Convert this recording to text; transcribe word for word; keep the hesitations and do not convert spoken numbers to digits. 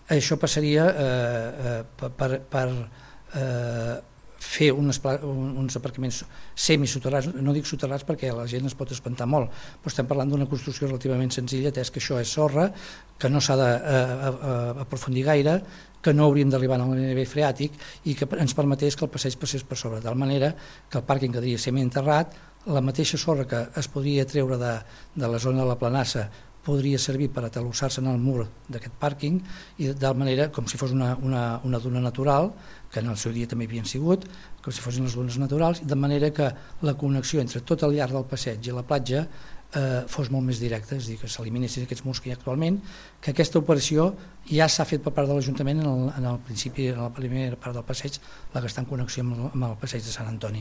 això passaria eh, per, per, per eh, fer uns, uns aparcaments semisoterrats, no dic soterrats perquè la gent es pot espantar molt, però estem parlant d'una construcció relativament senzilla, atès que això és sorra, que no s'ha d'aprofundir gaire, que no hauríem d'arribar al nivell freàtic i que ens permetés que el passeig passés per sobre, de tal manera que el pàrquing quedaria semienterrat, la mateixa sorra que es podria treure de, de la zona de la planassa podria servir per atalussar-se en el mur d'aquest pàrquing i de tal manera com si fos una, una, una duna natural, que en el seu dia també havien sigut, com si fossin les dunes naturals, de manera que la connexió entre tot el llarg del passeig i la platja eh, fos molt més directa, és a dir, que s'eliminessin aquests murs que hi ha actualment, que aquesta operació ja s'ha fet per part de l'Ajuntament en el, en el principi, en la primera part del passeig, la que està en connexió amb el, amb el passeig de Sant Antoni.